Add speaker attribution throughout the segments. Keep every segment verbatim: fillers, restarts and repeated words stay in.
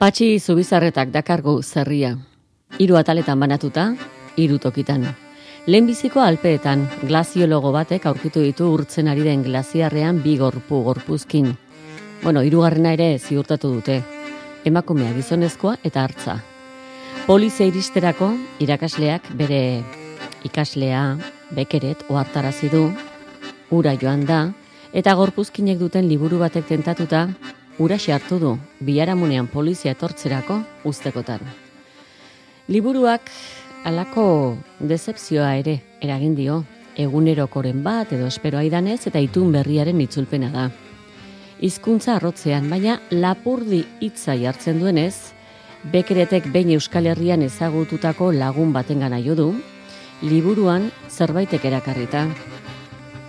Speaker 1: Patxi Zubizarretak dakargu zerria. Hiru ataletan banatuta, hiru tokitan. Lehenbiziko Alpeetan, glaziologo batek aurkitu ditu urtzen ari den glaziarrean bi gorpu gorpuzkin. Bueno, hirugarrena ere ziurtatu dute. Emakumea gizonezkoa eta hartza. Polizia iristerako irakasleak bere ikaslea Bekeret ohartarazi du, ura joan da, eta gorpuzkinek duten liburu batek tentatuta, uraxe hartu du, biharamunean polizia etortzerako ustekotan. Liburuak halako dezepzioa ere eragin dio, egunerokoren bat edo espero aidanez eta itun berriaren itzulpena da. Hizkuntza arrotzean, baina lapurdi hitza jartzen duenez, Bekeretek behin Euskal Herrian ezagututako lagun batengana jo du, liburuan zerbaitek erakarrita.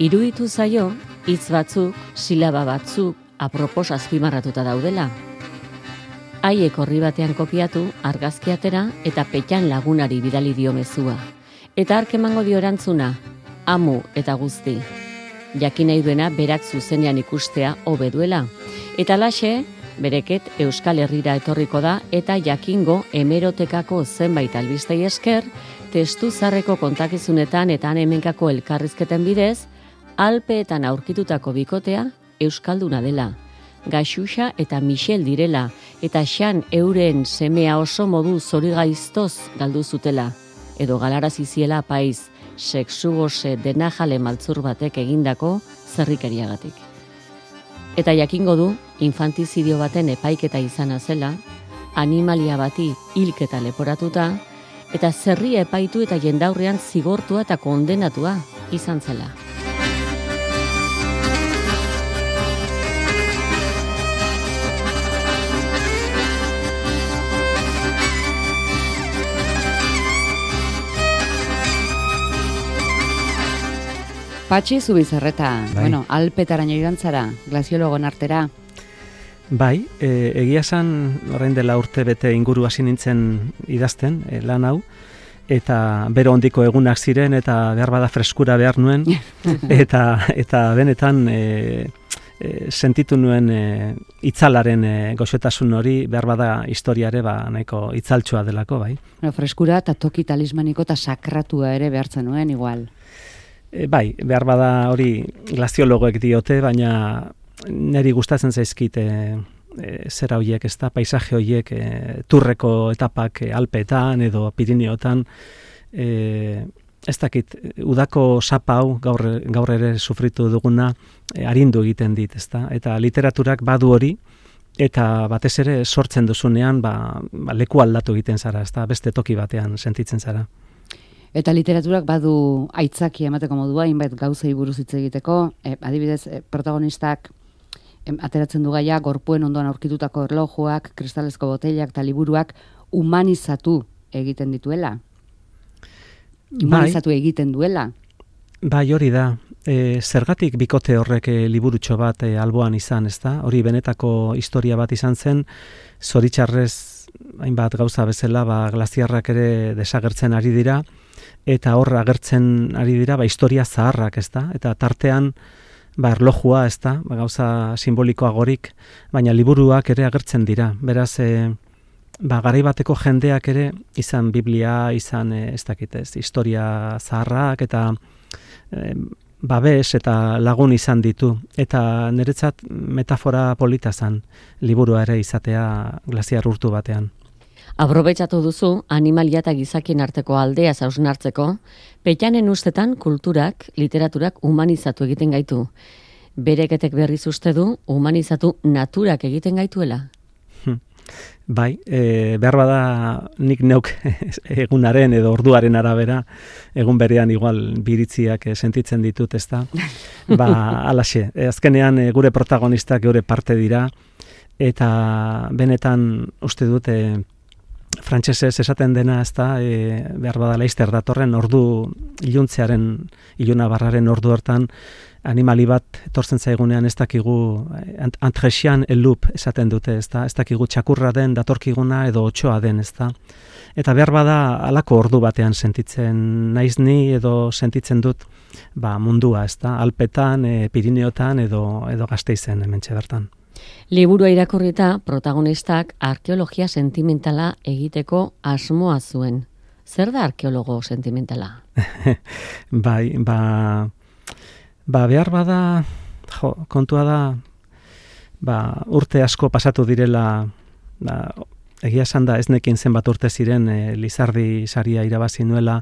Speaker 1: Iruditu zaio, hitz batzuk, silaba batzuk, apropos azpimarratuta daudela. Haiek orri batean kopiatu, argazki atera eta Petxan lagunari bidali dio mezua. Eta hark emango dio erantzuna, amu eta guzti. Jakin nahi duena berak zuzenean ikustea hobe duela. Eta laxe, Bereket Euskal Herrira etorriko da eta jakingo hemerotekako zenbait albistei esker, testu zarreko kontakizunetan eta hemenkako elkarrizketen bidez, Alpeetan aurkitutako bikotea euskalduna dela. Gaxuxa eta Michel direla, eta Xan euren semea oso modu zorigaiztoz galdu zutela, edo galarazi ziela apaiz, sexugose denajale maltzur batek egindako zerrikeriagatik. Eta jakingo du, infantizidio baten epaiketa izana zela, animalia bati hilketa leporatuta, eta zerria epaitu eta jendaurrean zigortua eta kondenatua izan zela.
Speaker 2: Patxi Zubizarreta, bai. Bueno, Alpetaraino joan zara, glaziologon artera.
Speaker 3: Bai, e, egia esan orain dela urte bete inguru hasi nintzen idazten, e, lan hau, eta bero hondiko egunak ziren, eta behar bada freskura behar nuen, eta eta benetan e, e, sentitu nuen e, itzalaren e, goxotasun hori, behar bada historiare ba, nahiko itzaltsua delako, bai.
Speaker 2: Bueno, freskura eta toki talismaniko eta sakratua ere behartzen nuen, igual.
Speaker 3: E, bai, behar bada hori glaziologoek diote, baina niri gustatzen zaizkit e, e, zera horiek, ez da, paisaje horiek, e, turreko etapak e, Alpeetan edo Pirineotan, e, ez dakit, udako sapa hau gaur, gaur ere sufritu duguna e, arindu egiten dit, ez da, eta literaturak badu hori, eta batez ere sortzen duzunean ba, ba, leku aldatu egiten zara, ez da, beste toki batean sentitzen zara.
Speaker 2: Eta literaturak badu aitzaki emateko modua, hainbat gauzei buruz hitz egiteko, e, adibidez, e, protagonistak em, ateratzen du gaia, gorpuen ondoan aurkitutako erlojuak, kristalezko boteilak eta liburuak humanizatu egiten dituela. Humanizatu bai, egiten duela.
Speaker 3: Bai, hori da. E, zergatik bikote horrek e, liburutxo bat e, alboan izan, ez da? Hori benetako historia bat izan zen, zoritxarrez hainbat gauza bezala, ba, glaziarrak ere desagertzen ari dira, eta hor agertzen ari dira ba, historia zaharrak, ez da? Eta tartean ba, erlojua, ez da? Ba, gauza simbolikoagorik, baina liburuak ere agertzen dira. Beraz, e, ba, garai bateko jendeak ere izan Biblia, izan e, ez dakitez, historia zaharrak, eta e, babes eta lagun izan ditu. Eta niretzat metafora polita zen liburua ere izatea glaziar urtu batean.
Speaker 1: Aprobetxatu duzu, animalia eta gizakien arteko aldea hausnartzeko, Petxanen ustetan kulturak, literaturak humanizatu egiten gaitu. Bereketek berriz uste du, humanizatu naturak egiten gaituela?
Speaker 3: Bai, e, behar bada nik neuk egunaren edo orduaren arabera, egun berean igual biritziak sentitzen ditut, ez da? Ba, alaxe, azkenean e, gure protagonistak gure parte dira, eta benetan uste dut, e, frantsesez esaten dena, ez da, e, behar bada laizter datorren ordu iluntzearen, iluna barraren ordu hortan, animali bat etortzen zaigunean ez dakigu antresian elup esaten dute, ez da, ez dakigu txakurra den, datorkiguna edo otsoa den, ez da. Eta behar bada alako ordu batean sentitzen naiz ni edo sentitzen dut ba, mundua, ez da, Alpetan, e, Pirineotan edo, edo Gasteizen hementxe bertan.
Speaker 1: Liburua irakurrita protagonistak arkeologia sentimentala egiteko asmoa zuen. Zer da arkeologo sentimentala?
Speaker 3: bai, ba, ba behar bada, jo, kontua da, ba, urte asko pasatu direla, ba, egia esan da ez nekin zenbat urte ziren e, Lizardi saria irabazi nuela,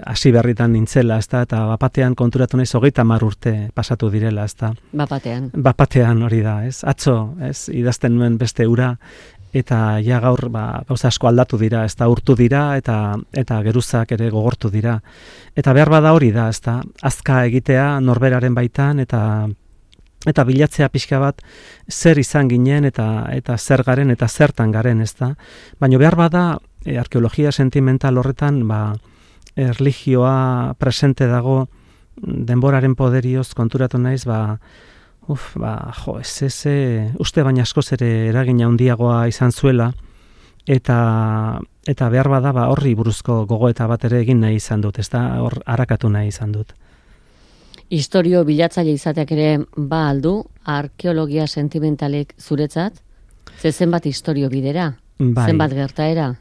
Speaker 3: hasi berritan nintzela, ezta, eta bapatean konturatu naiz hogeita hamar urte pasatu direla, ezta.
Speaker 1: Bapatean.
Speaker 3: Bapatean hori da, ez? Atzo, ez? Idazten nuen beste ura, eta ja gaur ba, gauza asko aldatu dira, ezta, urtu dira, eta eta geruzak ere gogortu dira. Eta behar bada hori da, ezta, azka egitea norberaren baitan, eta eta bilatzea pixka bat zer izan ginen, eta eta zer garen, eta zertan garen, ezta. Baina behar bada e, arkeologia sentimental horretan, ba, erlijioa presente dago denboraren poderioz konturatu naiz, ba, uf, ba, jo, ez ez, uste baina askoz ere eragina handiagoa izan zuela, eta eta behar bada ba, horri buruzko gogoeta bat ere egin nahi izan dut, ez da, hor harakatu nahi izan dut.
Speaker 1: Historio bilatzaile izateak ere ba aldu, arkeologia sentimentalek zuretzat, ze zenbat historio bidera,
Speaker 3: bai. Zenbat
Speaker 1: gertaera,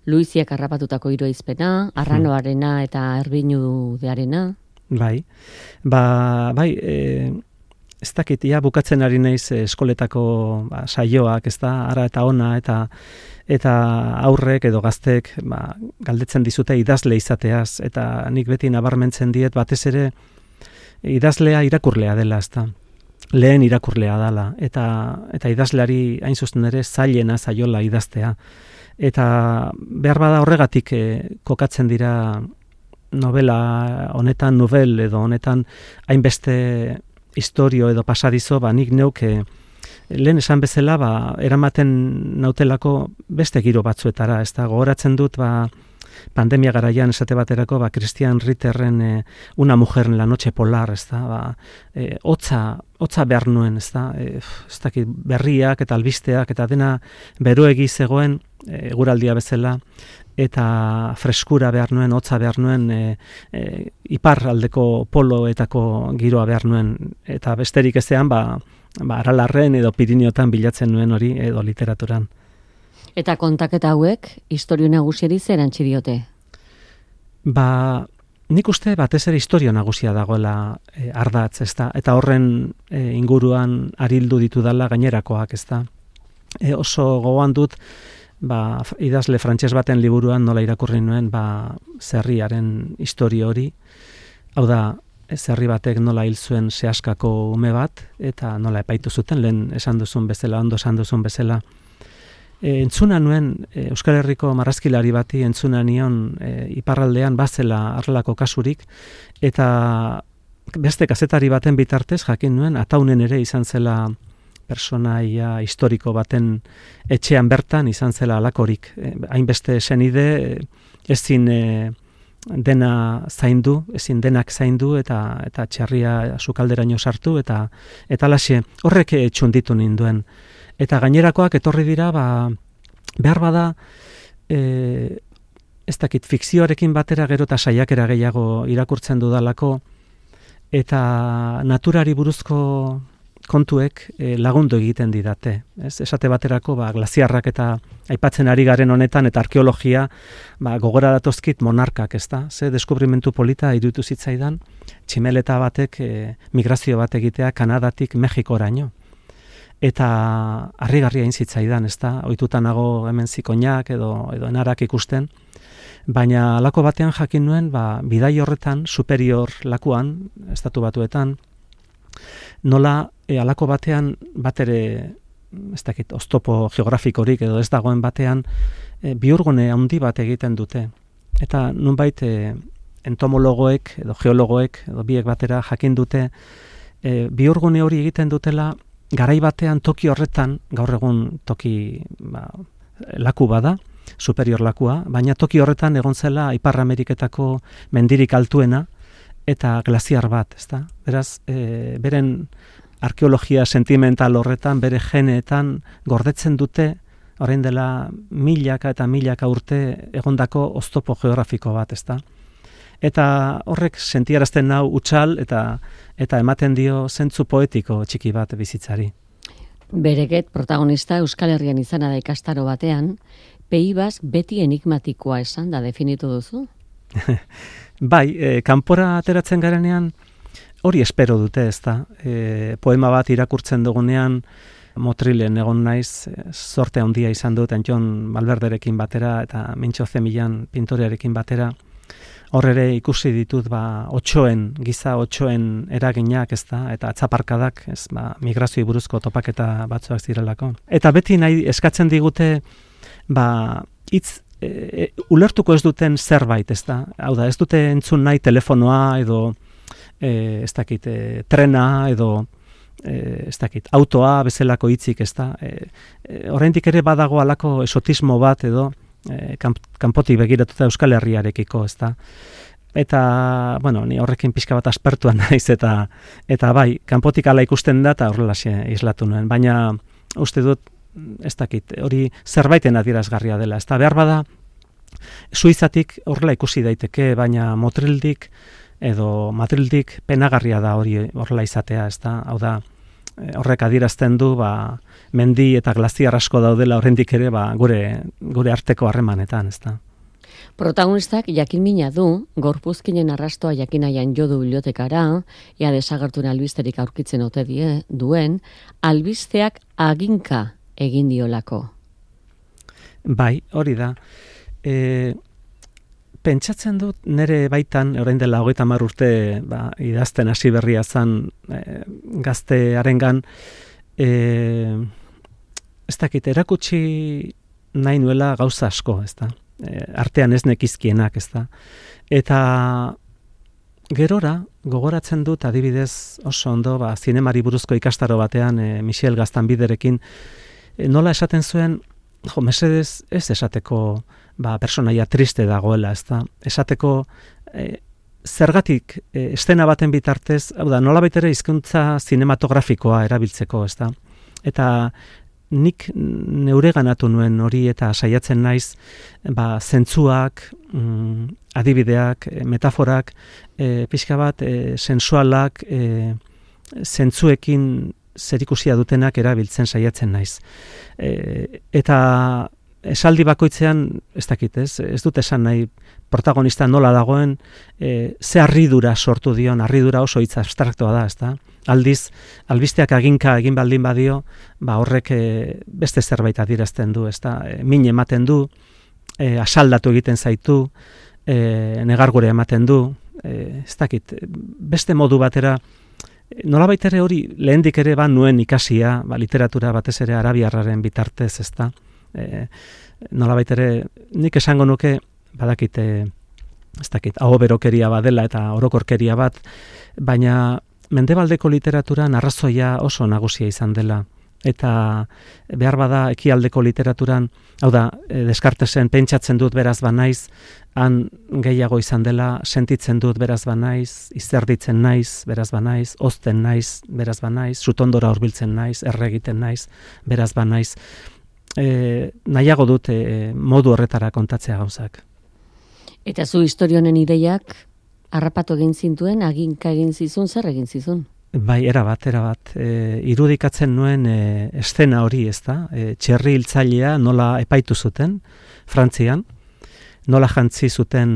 Speaker 1: Luiziak harrapatutako hiruaizpena, Arranoarena eta Erbinudearena.
Speaker 3: Bai, ba, bai, e, ez dakit, ja, bukatzen ari naiz eskoletako ba, saioak, ez da, ara eta ona, eta eta aurrek edo gaztek ba, galdetzen dizute idazle izateaz, eta nik beti nabarmentzen diet, batez ere idazlea irakurlea dela, ez da. Lehen irakurlea dela, eta, eta idazleari hain zuzen ere zailena zaiola idaztea. Eta behar bada horregatik eh, kokatzen dira novela honetan, novel edo honetan hainbeste historio edo pasadizo, ba nik neuk eh, lehen esan bezala ba, eramaten nautelako beste giro batzuetara, ez da, gogoratzen dut ba, pandemia garaian esate baterako ba, Christian Ritterren eh, Una mujer en la noche polar, ez da, ba, eh, hotza, hotza behar nuen, ez da, eh, ez dakit, berriak eta albisteak eta dena beroegi zegoen, eguraldia bezala, eta freskura behar nuen, hotza behar nuen, e, e, iparraldeko poloetako giroa behar nuen, eta besterik ezean, ba, ba, Aralarren edo Piriniotan bilatzen nuen hori, edo literaturan.
Speaker 1: Eta kontaketa hauek, historio nagusiari zer erantzi diote?
Speaker 3: Ba, nik uste batez ere historio nagusia dagoela e, ardatz, ezta, eta horren e, inguruan arildu ditudala gainerakoak, ezta. E, oso gogoan dut, ba, idazle frantses baten liburuan nola irakurri nuen ba, zerriaren historio hori. Hau da, zerri batek nola hil zuen sehaskako ume bat, eta nola epaitu zuten, lehen esan duzun bezala, ondo esan duzun bezala. E, entzuna nuen, e, Euskal Herriko marrazkilari bati entzuna nion e, iparraldean bazela arlako kasurik, eta beste kazetari baten bitartez jakin nuen, ataunen ere izan zela personaia historiko baten etxean bertan izan zela alakorik. E, hainbeste senide e, ezin e, dena zaindu, ezin denak zaindu eta eta txarria sukalderaino sartu eta eta laxe horrek txunditu ninduen. Eta gainerakoak etorri dira ba, behar bada e, ez dakit fikzioarekin batera gero eta saiakera gehiago irakurtzen dudalako eta naturari buruzko kontuek e, lagundu egiten didate. Ez? Esate baterako ba, glaziarrak eta aipatzen ari garen honetan eta arkeologia ba, gogora datozkit monarkak, ez da? Ze deskubrimentu polita iruditu zitzaidan, tximeleta batek e, migrazio bat egitea Kanadatik Mexikoraino. Eta harrigarria egin zitzaidan, ez da? Ohituta nago hemen zikoinak edo, edo enarak ikusten, baina halako batean jakin nuen, ba, bidai horretan, superior lakuan, estatu batuetan, nola e, alako batean bat ere ez dakit, oztopo geografikorik edo ez dagoen batean e, bihurgune handi bat egiten dute. Eta nunbait e, entomologoek edo geologoek edo biek batera jakin dute e, bihurgune hori egiten dutela garai batean toki horretan, gaur egun toki ba, laku bada, superior lakua, baina toki horretan egon zela Ipar Ameriketako mendirik altuena eta glaziar bat, ezta? Beraz, e, beren arkeologia sentimental horretan, bere geneetan gordetzen dute, orain dela milaka eta milaka urte egondako oztopo geografiko bat, ezta? Eta horrek sentiarazten nau utzal eta eta ematen dio zentzu poetiko txiki bat bizitzari.
Speaker 1: Bereket protagonista Euskal Herrian izana da ikastaro batean, Pays Basque beti enigmatikoa esan da definitu duzu?
Speaker 3: Bai, e, kanpora ateratzen garenean hori espero dute, ez da. E, poema bat irakurtzen dugunean, Motrilen egon naiz, sorte handia izan dut, Antxon Malberderekin batera eta Mintxo Zemilan pintorearekin batera. Hor ere ikusi ditut ba, otsoen, giza otsoen eraginak, ez da, eta atzaparkadak, ez, ba, migrazioi buruzko topaketa batzuak zirelako. Eta beti nahi eskatzen digute, ba, hitz e, e, ulertuko ez duten zerbait, ez da. Hau da, ez dute entzun nahi telefonoa edo, e, ez dakit, e, trena edo, e, ez dakit, autoa bezalako hitzik, ez da. E, e, oraindik ere badago halako esotismo bat edo, E, kanpotik begiratuta Euskal Herriarekiko, ez da. Eta, bueno, ni horrekin pixka bat aspertuan naiz, eta eta bai, kanpotik ala ikusten da, eta horrelaxe islatu nuen. Baina, uste dut, ez dakit, hori zerbaiten adierazgarria dela. Ez da, behar bada, Suizatik horrela ikusi daiteke, baina Motrildik edo Madrildik penagarria da hori horrela izatea, ez da. Hau da, horrek adierazten du, ba, mendi eta glaziar asko daudela oraindik ere ba, gure, gure arteko harremanetan, ez da.
Speaker 1: Protagonistak jakin mina du, gorpuzkinen arrastoa jakinaian jo du bibliotekara, ea desagertuen albisterik aurkitzen ote die, duen, albisteak aginka egin diolako.
Speaker 3: Bai, hori da. E, pentsatzen dut, nire baitan, orain dela hogeita hamar urte ba, idazten hasi berria zan e, gaztearengan, e, ez dakit, erakutsi nahi nuela gauza asko, ez da. E, artean ez nekizkienak, ez da. Eta gerora, gogoratzen dut, adibidez oso ondo, ba, zinemari buruzko ikastaro batean, e, Michel Gaztanbiderekin, e, nola esaten zuen, jo, mesedez ez esateko ba, personaia triste dagoela, ez da. Esateko e, zergatik e, estena baten bitartez, hau da, nolabait ere hizkuntza zinematografikoa erabiltzeko, ez da. Eta nik neure ganatu nuen hori eta saiatzen naiz ba, zentzuak, mm, adibideak, metaforak, e, pixka bat, e, sensualak, e, zentzuekin zerikusia dutenak erabiltzen saiatzen naiz. E, eta esaldi bakoitzean, ez dakit, ez, ez dut esan nahi protagonista nola dagoen, e, ze harridura sortu dion, harridura oso hitz abstraktoa da, ez da? Aldiz, albisteak aginka egin baldin badio, ba horrek e, beste zerbait adierazten du, ez da? E, min ematen du, e, asaldatu egiten zaitu, e, negargure ematen du, e, ez dakit, beste modu batera, nolabait ere hori lehendik ere ba nuen ikasia, ba, literatura batez ere arabiarraren bitartez, ez da? E, nolabait ere nik esango nuke badakit e, ez dakit, aho berokeria badela eta orokorkeria bat, baina mendebaldeko literaturan arrazoia oso nagusia izan dela eta behar bada ekialdeko literaturan, hau da, e, Descartesen pentsatzen dut beraz banaiz, han gehiago izan dela, sentitzen dut beraz banaiz, izerditzen naiz, beraz banaiz, ozten naiz, beraz banaiz, sutondora hurbiltzen naiz, erregiten naiz, beraz banaiz. E, nahiago dut e, modu horretara kontatzea gauzak.
Speaker 1: Eta zu historionen ideiak harrapatu egin zintuen, aginka egin zizun, zer egin zizun?
Speaker 3: Bai, erabat, erabat. E, irudikatzen nuen e, eszena hori, ez da? E, txerri hiltzailea nola epaitu zuten, Frantzian, nola jantzi zuten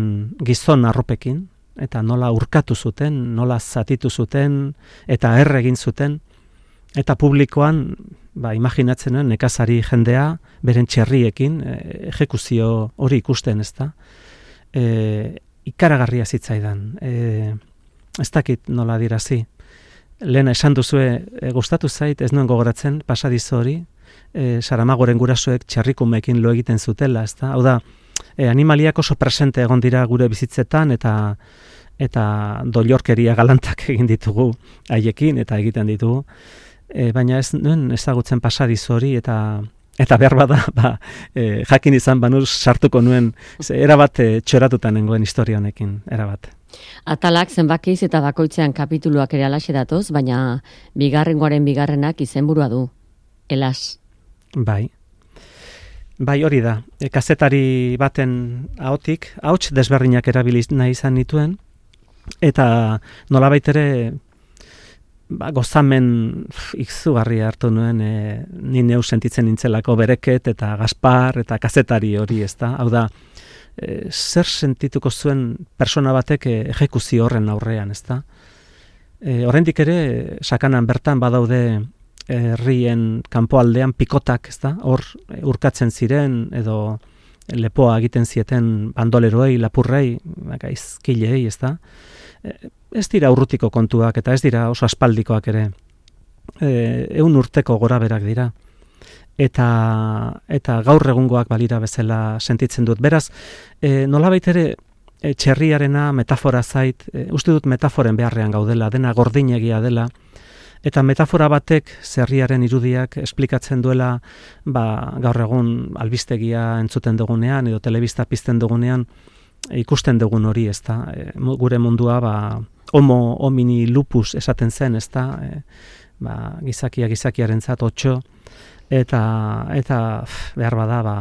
Speaker 3: gizon arropekin, eta nola urkatu zuten, nola zatitu zuten, eta erre egin zuten, eta publikoan, ba, imaginatzen nuen, nekazari jendea, beren txerriekin, e, ejekuzio hori ikusten, ez da? E, ikaragarria zitzaidan. E, ez dakit nola dirazi. Lehena esan duzue, e, gustatu zait, ez nuen gogoratzen, pasadizo hori, e, Saramagoren gurasoek txerrikumekin lo egiten zutela, ez da? Hau da, e, animaliak oso presente egon dira gure bizitzetan, eta eta doilorkeria galantak egin ditugu haiekin, eta egiten ditugu. E, baina ez nuen ezagutzen pasadizo hori, eta eta behar bada, ba, e, jakin izan banuz sartuko nuen, ze, erabat e, txoratuta nengoen historia honekin, erabat.
Speaker 1: Atalak zenbakiz eta bakoitzean kapituluak ere alaxe datoz, baina bigarrengoaren bigarrenak izenburua du. Elas.
Speaker 3: Bai. Bai, hori da. E, kazetari baten ahotik, ahots desberdinak erabiliz nahi izan nituen, eta nolabait ere ba, gozamen izugarria hartu nuen, e, ni neu sentitzen nintzelako bereket eta Gaspar eta kazetari hori, ez da? Hau da, e, zer sentituko zuen persona batek e, ejekuzio horren aurrean, ez da? E, oraindik ere, sakanan bertan badaude herrien kanpoaldean pikotak, ez da? Hor urkatzen ziren edo lepoa egiten zieten bandoleroei, lapurrei, gaizkilei, ez da? Ez dira urrutiko kontuak eta ez dira oso aspaldikoak ere. E, eun urteko goraberak dira. Eta, eta gaur egungoak balira bezala sentitzen dut. Beraz, e, nolabait ere e, txerriarena metafora zait, e, uste dut metaforen beharrean gaudela, dena gordinegia dela, eta metafora batek zerriaren irudiak esplikatzen duela ba, gaur egun albistegia entzuten dugunean edo telebista pizten dugunean ikusten dugun hori, ez da, e, gure mundua ba, homo homini lupus esaten zen, ez da, e, ba, gizakia gizakiaren zat otxo, eta, eta behar bada ba,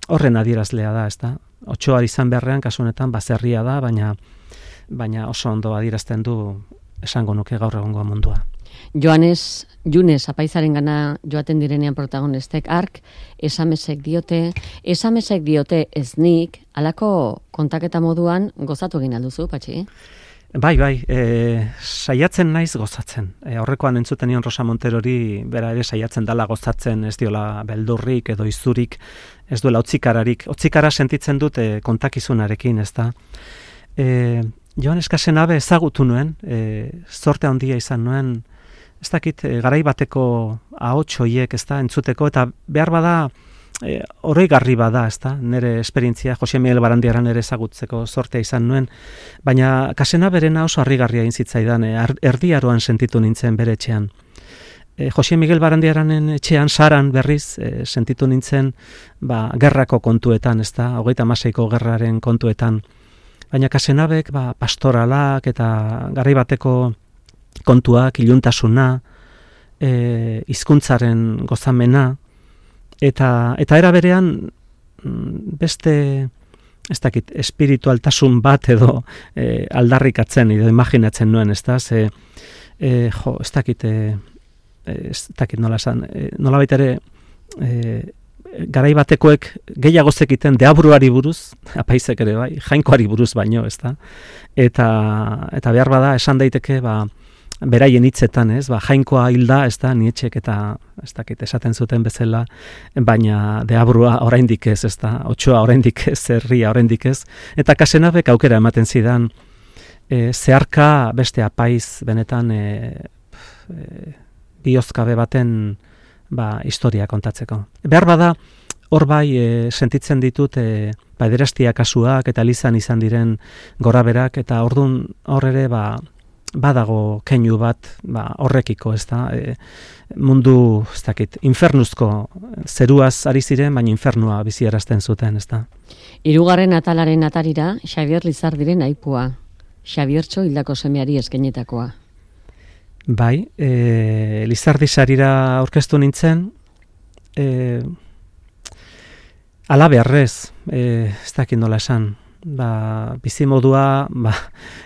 Speaker 3: horren adierazlea da, ez da, otxoa izan beharrean kasu honetan bazerria da, baina, baina oso ondo adierazten du esango nuke gaur egungo mundua.
Speaker 1: Joanes, Junez, apaizaren gana joaten direnean protagonistek, ark, esamesek diote, esamesek diote ez nik, alako kontaketa moduan gozatu egin alduzu, Patxi?
Speaker 3: Bai, bai, e, saiatzen naiz gozatzen. E, horrekoan entzuten nion Rosa Monterori, bera ere saiatzen dala gozatzen, ez diola beldurrik edo izurik, ez duela otzikararik. Otzikara sentitzen dut e, kontakizunarekin, ez da. E, Joanes Casenabe ezagutu nuen, e, zorte handia izan nuen, ez dakit, e, garai bateko ahots horiek, ez da, entzuteko, eta behar bada, e, oroigarri bada, ez da, nire esperientzia, Jose Miguel Barandiaran ere ezagutzeko zortea izan nuen, baina Casenaberena oso harrigarria intzitzaidan, e, erdiaroan sentitu nintzen bere etxean. E, Jose Miguel Barandiaranen etxean, saran berriz, e, sentitu nintzen, ba, gerrako kontuetan, ez da, hogeita hamaseiko gerraren kontuetan, baina Casenabek, ba, pastoralak eta garai bateko kontuak, iluntasuna, e, hizkuntzaren gozamena, eta, eta era berean beste, ez dakit, espiritualtasun bat edo e, aldarrikatzen edo imaginatzen nuen, ez da, ze, e, jo, ez dakit, e, ez dakit nola esan, e, nola baita ere, e, garai batekoek gehiago zekiten deabruari buruz, apaizek ere bai, jainkoari buruz baino, ez da, eta, eta behar bada esan daiteke, ba, beraien hitzetan, ez, ba, jainkoa hilda, ez da, Nietzschek eta, ez dakit, esaten zuten bezala, baina deabrua oraindik ez, ez da, otxoa oraindik ez, herria oraindik ez, eta Casenabek aukera ematen zidan, e, zeharka beste apaiz benetan e, e, biozkabe baten ba, historia kontatzeko. Behar bada, hor bai e, sentitzen ditut e, pederastia kasuak eta Elizan izan diren goraberak, eta ordun hor ere ba, badago keinu bat ba, horrekiko, ez da, e, mundu, ez dakit, infernuzko zeruaz ari ziren, baina infernua biziarazten zuten, ez da.
Speaker 1: Hirugarren atalaren atarira, Xabier Lizardiren aipua, Xabiertxo hildako semeari eskenetakoa.
Speaker 3: Bai, e, Lizardi sarira aurkeztu nintzen, e, alabearrez, e, ez dakit nola esan, ba, bizimodua, ba,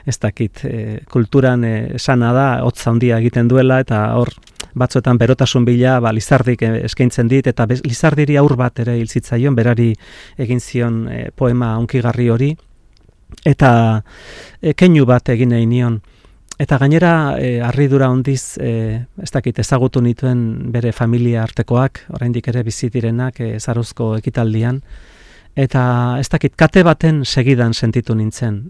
Speaker 3: ez dakit, e, kulturan e, esana da, hotza handia egiten duela, eta hor batzuetan berotasun bila, ba, Lizardik eskaintzen dit, eta bez, Lizardiri aur bat ere hil zitzaion, berari egin zion e, poema hunkigarri hori, eta e, keinu bat egin nahi nion. Eta gainera, e, harridura hondiz, e, ez dakit, ezagutu nituen bere familia artekoak, oraindik ere bizi direnak e, Zaruzko ekitaldian, eta ez dakit, kate baten segidan sentitu nintzen.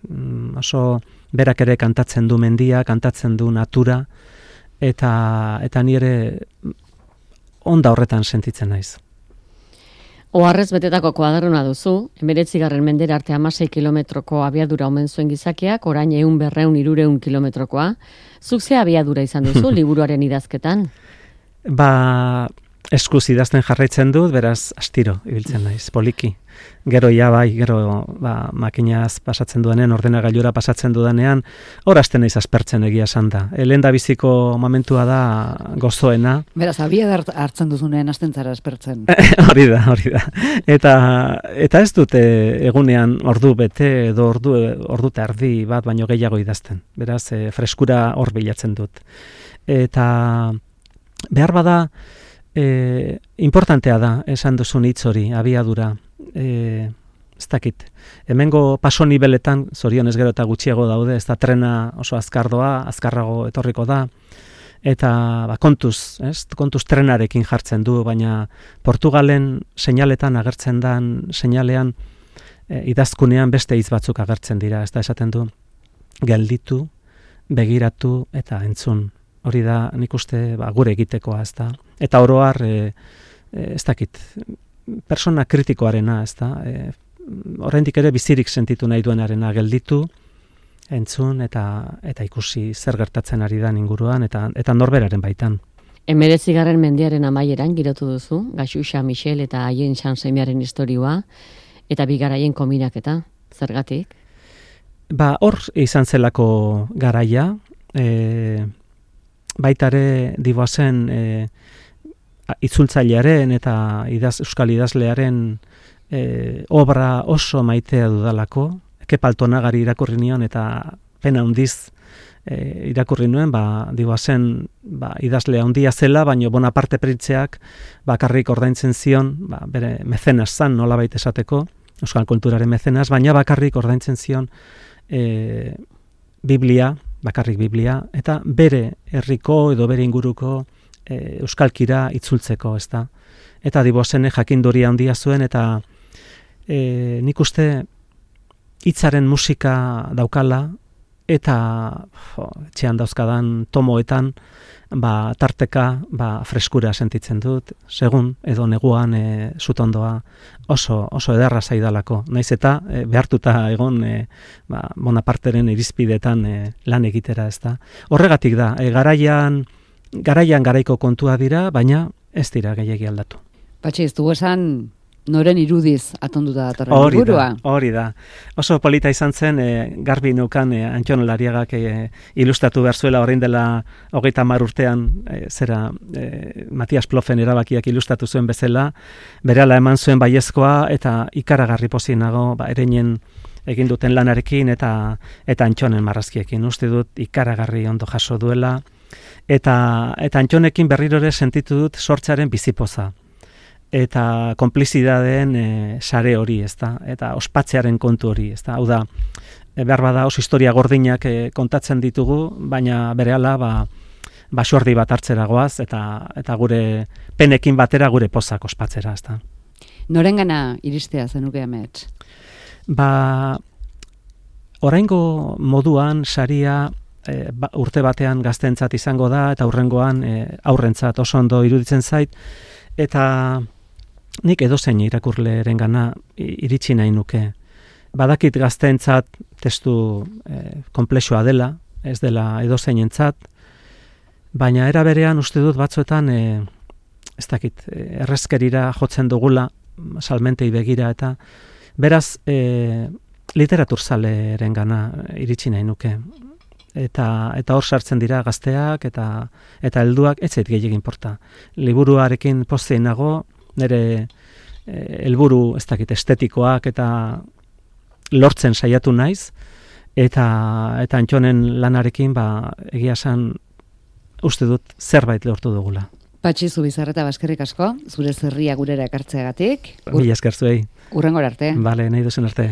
Speaker 3: Mm, oso berak ere kantatzen du mendia, kantatzen du natura, eta, eta nire onda horretan sentitzen naiz.
Speaker 1: Oharrez betetako kuadernua duzu, hemeretzigarren mendera arte hamasei kilometroko abiadura omen zuen gizakiak, orain ehun berreun hirureun kilometrokoa. Zuk ze abiadura izan duzu liburuaren idazketan?
Speaker 3: Ba, eskuz idazten jarraitzen dut, beraz, astiro ibiltzen naiz, poliki. Gero ja bai, gero ba, makinaz pasatzen duenean, ordenagailura pasatzen dudanean, hor hasten naiz aspertzen egia esan da. E, lehen da biziko momentua da gozoena.
Speaker 2: Beraz, abia hartzen duzunean hasten zara aspertzen.
Speaker 3: Hori da, hori da. Eta, eta ez dute egunean ordu bete edo ordu, ordu eta erdi bat baino gehiago idazten. Beraz, e, freskura hor bilatzen dut. Eta behar bada, e, importantea da, esan duzun hitz hori, abiadura. E, ez dakit, hemengo paso nibeletan, zorionez gero eta gutxiago daude, ez da trena oso azkardoa, azkarrago etorriko da, eta ba, kontuz, ez? Kontuz trenarekin jartzen du, baina Portugalen seinaletan agertzen dan, seinalean e, idazkunean beste hitz batzuk agertzen dira, ez da esaten du, gelditu, begiratu eta entzun. Hori da, nik uste, ba, gure egitekoa, ez da. Eta oro har, e, e, ez dakit, persona kritikoarena, ez da, e, oraindik ere bizirik sentitu nahi duenarena gelditu, entzun eta eta ikusi zer gertatzen ari da inguruan eta eta norberaren baitan.
Speaker 1: Hemeretzigarren mendearen amaieran girotu duzu, Gaxuxa Michel eta haien sansemearen istorioa, eta bigaraien kombinaketa, zergatik?
Speaker 3: Ba, hor izan zelako garaia, e, baitare diboazen e, itzultzailearen eta idaz, euskal idazlearen e, obra oso maitea dudalako, Kepaltonagari irakurri nion eta pena handiz e, irakurri nuen, ba, diboazen ba, idazlea handia zela, baina Bonaparte printzeak bakarrik ordaintzen zion, ba, bere mecenas zan nolabait esateko, euskal kulturaren mecenas, baina bakarrik ordaintzen zion e, Biblia, bakarrik Biblia, eta bere herriko edo bere inguruko E, euskalkira itzultzeko, ez da. Eta diboazene jakinduria handia zuen, eta e, nik uste hitzaren musika daukala, eta jo, etxean dauzkadan tomoetan, ba, tarteka ba, freskura sentitzen dut, segun edo neguan e, zutondoa oso, oso ederra zaidalako. Naiz eta e, behartuta egon e, ba, Bonaparteren irizpidetan e, lan egitera, ez da. Horregatik da, e, garaian Garaian garaiko kontua dira, baina ez dira gehiegi aldatu.
Speaker 2: Patxi, ez dugu esan noren irudiz atonduta datorren liburua.
Speaker 3: Hori da. Oso polita izan zen, e, garbi neukan e, Antxon Lariagak e, ilustratu behar zuela orain dela hogeita hamar urtean, e, zera e, Matias Plofen erabakiak ilustratu zuen bezala, berehala eman zuen baiezkoa eta ikaragarri pozik nago, ba, ereinen egin duten lanarekin eta eta Antxonen marrazkiekin. Uste dut ikaragarri ondo jaso duela, Eta, eta Antxonekin berriro ere sentitu dut sortzaren bizipoza. Eta konplizidadeen e, sare hori, ez da? Eta ospatzearen kontu hori, ez da? Hau da, e, behar bada oso historia gordinak e, kontatzen ditugu, baina berehala ba, basordi bat hartzera goaz, eta, eta gure penekin batera gure pozak ospatzera, ez da?
Speaker 2: Norengana iristea zenuke amets?
Speaker 3: Ba, oraingo moduan saria E, ba, urte batean gaztentzat izango da eta hurrengoan e, aurrentzat oso ondo iruditzen zait, eta nik edozein irakurlerengana iritsi nahi nuke. Badakit gaztentzat testu e, konplexua dela, ez dela edozeinentzat, baina era berean uste dut batzuetan e, ez dakit, e, errezkerira jotzen dugula, salmentei begira, eta beraz e, literaturzaleerengana iritsi nahi nuke. Eta eta hor sartzen dira gazteak eta eta helduak, ez zait gehiegi inporta. Liburuarekin pozein nago, nire helburu e, ez dakit estetikoak eta lortzen saiatu naiz, eta eta Antxonen lanarekin ba egia esan uste dut zerbait lortu dugula.
Speaker 2: Patxi Zubizarreta, baskerrik asko, zure zerria gurera ekartzeagatik.
Speaker 3: Mila esker zuei.
Speaker 2: Hurrengora arte.
Speaker 3: Bale, nahi duzen arte.